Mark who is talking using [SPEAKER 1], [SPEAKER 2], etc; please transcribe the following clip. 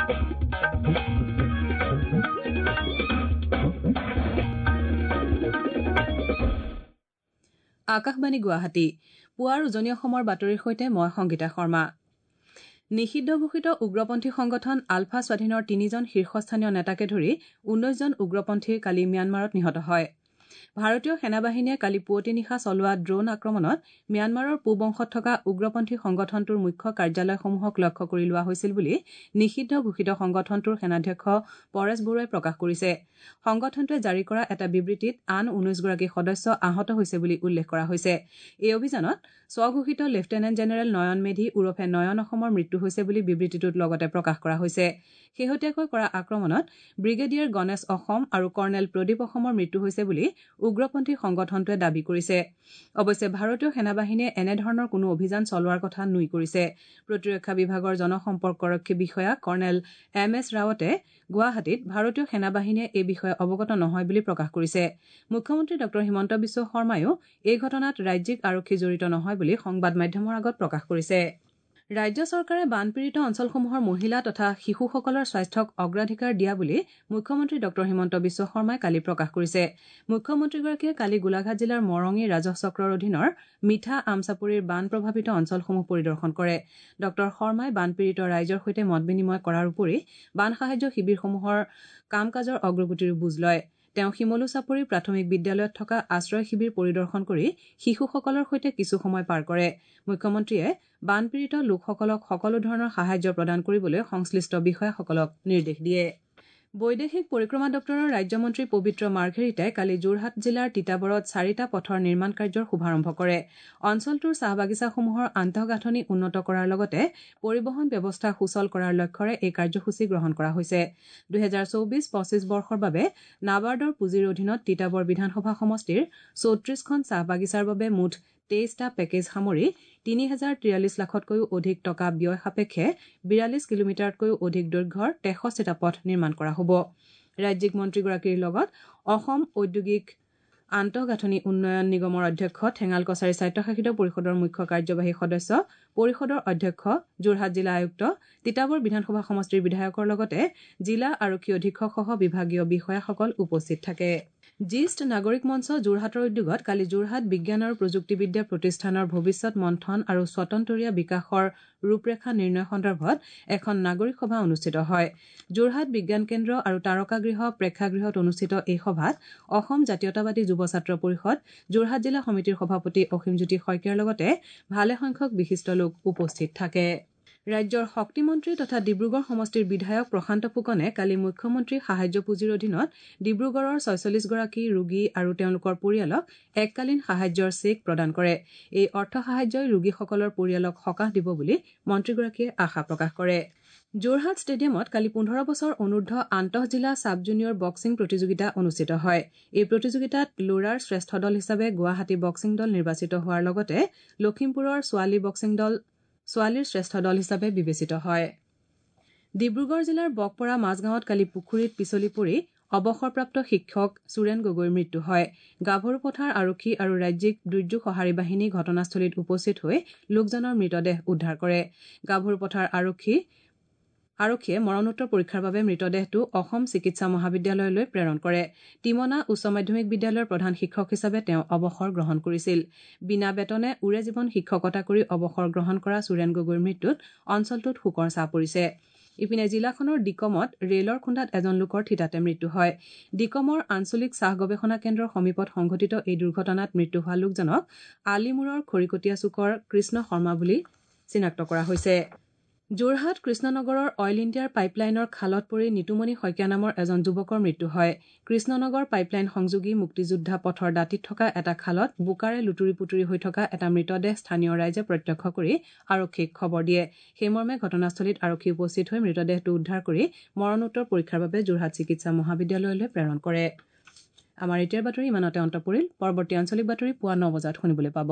[SPEAKER 1] আকাশবাণী গুৱাহাটী, পুৱাৰ উজনি অসমৰ বাতৰিৰ সৈতে মই সংগীতা শৰ্মা। নিষিদ্ধ ঘোষিত উগ্ৰপন্থী সংগঠন আলফা স্বাধীনৰ তিনিজন শীৰ্ষস্থানীয় নেতাকে ধৰি ১৯ জন উগ্ৰপন্থী কালি ম্যানমাৰত নিহত হয়। ভাৰতীয় সেনাবাহিনীয়ে কালি পুৱতি নিশা চলোৱা ড্ৰোণ আক্ৰমণত ম্যানমাৰৰ পূব অংশত থকা উগ্ৰপন্থী সংগঠনটোৰ মুখ্য কাৰ্যালয়সমূহক লক্ষ্য কৰি লোৱা হৈছিল বুলি নিষিদ্ধ ঘোষিত সংগঠনটোৰ সেনাধ্যক্ষ পৰেশ বৰুৱাই প্ৰকাশ কৰিছে। সংগঠনটোৱে জাৰি কৰা এটা বিবৃতিত আন ১৯গৰাকী সদস্য আহত হৈছে বুলি উল্লেখ কৰা হৈছে। এই অভিযানত স্বঘোষিত লেফটেনেণ্ট জেনেৰেল নয়ন মেধি ওৰফে নয়ন অসমৰ মৃত্যু হৈছে বুলি বিবৃতিটোত লগতে প্ৰকাশ কৰা হৈছে। শেহতীয়াকৈ কৰা আক্ৰমণত ব্ৰিগেডিয়াৰ গণেশ অসম আৰু কৰ্ণেল প্ৰদীপ অসমৰ মৃত্যু হৈছে বুলি উগ্ৰপন্থী সংগঠনটোৱে দাবী কৰিছে। অৱশ্যে ভাৰতীয় সেনাবাহিনীয়ে এনেধৰণৰ কোনো অভিযান চলোৱাৰ কথা নুই কৰিছে। প্ৰতিৰক্ষা বিভাগৰ জনসম্পৰ্কৰক্ষী বিষয়া কৰ্ণেল এম এছ ৰাৱটে গুৱাহাটীত ভাৰতীয় সেনাবাহিনীয়ে এই বিষয়ে অৱগত নহয় বুলি প্ৰকাশ কৰিছে। মুখ্যমন্ত্ৰী ডঃ হিমন্ত বিশ্ব শৰ্মায়ো এই ঘটনাত ৰাজ্যিক আৰক্ষী জড়িত নহয় বুলি সংবাদ মাধ্যমৰ আগত প্ৰকাশ কৰিছে। ৰাজ্য চৰকাৰে বানপীড়িত অঞ্চলসমূহৰ মহিলা তথা শিশুসকলৰ স্বাস্থ্যক অগ্ৰাধিকাৰ দিয়া বুলি মুখ্যমন্ত্ৰী ডঃ হিমন্ত বিশ্ব শৰ্মাই কালি প্ৰকাশ কৰিছে। মুখ্যমন্ত্ৰীগৰাকীয়ে কালি গোলাঘাট জিলাৰ মৰঙী ৰাজহ চক্ৰৰ অধীনৰ মিঠা আমচাপৰিৰ বান প্ৰভাৱিত অঞ্চলসমূহ পৰিদৰ্শন কৰে। ডঃ শৰ্মাই বানপীড়িত ৰাইজৰ সৈতে মত বিনিময় কৰাৰ উপৰি বান সাহায্য শিবিৰসমূহৰ কাম কাজৰ অগ্ৰগতিৰো বুজ লয়। তেওঁ শিমলু চাপৰি প্ৰাথমিক বিদ্যালয়ত থকা আশ্ৰয় শিবিৰ পৰিদৰ্শন কৰি শিশুসকলৰ সৈতে কিছু সময় পাৰ কৰে। মুখ্যমন্ত্ৰীয়ে বানপীড়িত লোকসকলক সকলো ধৰণৰ সাহায্য প্ৰদান কৰিবলৈ সংশ্লিষ্ট বিষয়াসকলক নিৰ্দেশ দিয়ে। বৈদেশিক পৰিক্ৰমা দপ্তৰৰ ৰাজ্যমন্ত্ৰী পবিত্ৰ মাৰ্ঘেৰিটাই কালি যোৰহাট জিলাৰ তিতাবৰত চাৰিটা পথৰ নিৰ্মাণ কাৰ্যৰ শুভাৰম্ভ কৰে। অঞ্চলটোৰ চাহ বাগিচাসমূহৰ আন্তঃগাঁথনি উন্নত কৰাৰ লগতে পৰিবহণ ব্যৱস্থা সুচল কৰাৰ লক্ষ্যৰে এই কাৰ্যসূচী গ্ৰহণ কৰা হৈছে। ২০২৪-২৫ বৰ্ষৰ বাবে নাবাৰ্ডৰ পুঁজিৰ অধীনত তিতাবৰ বিধানসভা সমষ্টিৰ ৩৪খন চাহ বাগিচাৰ বাবে মুঠ ২৩টা পেকেজ সামৰি ৩০৪৩ লাখতকৈও অধিক টকা ব্যয় সাপেক্ষে ৪২ কিলোমিটাৰতকৈও অধিক দৈৰ্ঘ্যৰ ৬৩টা পথ নিৰ্মাণ কৰা হ'ব। ৰাজ্যিক মন্ত্ৰীগৰাকীৰ লগত অসম ঔদ্যোগিক আন্তঃগাঁথনি উন্নয়ন নিগমৰ অধ্যক্ষ, ঠেঙাল কছাৰী স্বায়ত্তশাসিত পৰিষদৰ মুখ্য কাৰ্যবাহী সদস্য, পৰিষদৰ অধ্যক্ষ, যোৰহাট জিলা আয়ুক্ত, তিতাবৰ বিধানসভা সমষ্টিৰ বিধায়কৰ লগতে জিলা আৰক্ষী অধীক্ষকসহ বিভাগীয় বিষয়াসকল উপস্থিত থাকে। জ্যেষ্ঠ নাগৰিক মঞ্চ যোৰহাটৰ উদ্যোগত কালি যোৰহাট বিজ্ঞান আৰু প্ৰযুক্তিবিদ্যা প্ৰতিষ্ঠানৰ ভৱিষ্যত মন্থন আৰু স্বতন্তৰীয়া বিকাশৰ ৰূপৰেখা নিৰ্ণয় সন্দৰ্ভত এখন নাগৰিক সভা অনুষ্ঠিত হয়। যোৰহাট বিজ্ঞান কেন্দ্ৰ আৰু তাৰকাগৃহ প্ৰেক্ষাগৃহত অনুষ্ঠিত এই সভাত অসম জাতীয়তাবাদী যুৱ ছাত্ৰ পৰিষদ যোৰহাট জিলা সমিতিৰ সভাপতি অসীমজ্যোতি শইকীয়াৰ লগতে ভালেসংখ্যক বিশিষ্ট লোক উপস্থিত থাকে। ৰাজ্যৰ শক্তিমন্ত্ৰী তথা ডিব্ৰুগড় সমষ্টিৰ বিধায়ক প্ৰশান্ত ফুকনে কালি মুখ্যমন্ত্ৰী সাহায্য পুঁজিৰ অধীনত ডিব্ৰুগড়ৰ ৪৬গৰাকী ৰোগী আৰু তেওঁলোকৰ পৰিয়ালক এককালীন সাহায্যৰ চেক প্ৰদান কৰে। এই অৰ্থ সাহায্যই ৰোগীসকলৰ পৰিয়ালক সকাহ দিব বুলি মন্ত্ৰীগৰাকীয়ে আশা প্ৰকাশ কৰে। যোৰহাট ষ্টেডিয়ামত কালি ১৫ বছৰ অনুৰ্ধ আন্তঃজিলা ছাব জুনিয়ৰ বক্সিং প্ৰতিযোগিতা অনুষ্ঠিত হয়। এই প্ৰতিযোগিতাত ল'ৰাৰ শ্ৰেষ্ঠ দল হিচাপে গুৱাহাটী বক্সিং দল নিৰ্বাচিত হোৱাৰ লগতে লখিমপুৰৰ ছোৱালী বক্সিং দল ছোৱালীৰ শ্ৰেষ্ঠ দল হিচাপে বিবেচিত হয়। ডিব্ৰুগড় জিলাৰ বকপৰা মাজগাঁৱত কালি পুখুৰীত পিছলি পৰি অৱসৰপ্ৰাপ্ত শিক্ষক সুৰেণ গগৈৰ মৃত্যু হয়। গাভৰুপথাৰ আৰক্ষী আৰু ৰাজ্যিক দুৰ্যোগ সঁহাৰি বাহিনী ঘটনাস্থলীত উপস্থিত হৈ লোকজনৰ মৃতদেহ উদ্ধাৰ কৰে। গাভৰুপথাৰ আৰক্ষীয়ে মৰণোত্তৰ পৰীক্ষাৰ বাবে মৃতদেহটো অসম চিকিৎসা মহাবিদ্যালয়লৈ প্ৰেৰণ কৰে। টিমনা উচ্চ মাধ্যমিক বিদ্যালয়ৰ প্ৰধান শিক্ষক হিচাপে তেওঁ অৱসৰ গ্ৰহণ কৰিছিল। বিনা বেতনে ওৰে জীৱন শিক্ষকতা কৰি অৱসৰ গ্ৰহণ কৰা সুৰেণ গগৈৰ মৃত্যুত অঞ্চলটোত শোকৰ ছাঁ পৰিছে। ইপিনে জিলাখনৰ ডিকমত ৰেলৰ খুন্দাত এজন লোকৰ থিতাতে মৃত্যু হয়। ডিকমৰ আঞ্চলিক চাহ গৱেষণা কেন্দ্ৰৰ সমীপত সংঘটিত এই দুৰ্ঘটনাত মৃত্যু হোৱা লোকজনক আলিমূৰৰ খৰিকটীয়া চুকৰ কৃষ্ণ শৰ্মা বুলি চিনাক্ত কৰা হৈছে। যোৰহাট কৃষ্ণনগৰৰ অইল ইণ্ডিয়াৰ পাইপলাইনৰ খালত পৰি নিতুমণি শইকীয়া নামৰ এজন যুৱকৰ মৃত্যু হয়। কৃষ্ণনগৰ পাইপলাইন সংযোগী মুক্তিযোদ্ধা পথৰ দাঁতিত থকা এটা খালত বোকাৰে লুতুৰি পুতুৰি হৈ থকা এটা মৃতদেহ স্থানীয় ৰাইজে প্ৰত্যক্ষ কৰি আৰক্ষীক খবৰ দিয়ে। সেইমৰ্মে ঘটনাস্থলীত আৰক্ষী উপস্থিত হৈ মৃতদেহটো উদ্ধাৰ কৰি মৰণোত্তৰ পৰীক্ষাৰ বাবে যোৰহাট চিকিৎসা মহাবিদ্যালয়লৈ প্ৰেৰণ কৰে। আমাৰ এতিয়াৰ বাতৰি ইমানতে অন্ত পৰিল। পৰৱৰ্তী আঞ্চলিক বাতৰি পুৱা ৯ বজাত শুনিবলৈ পাব।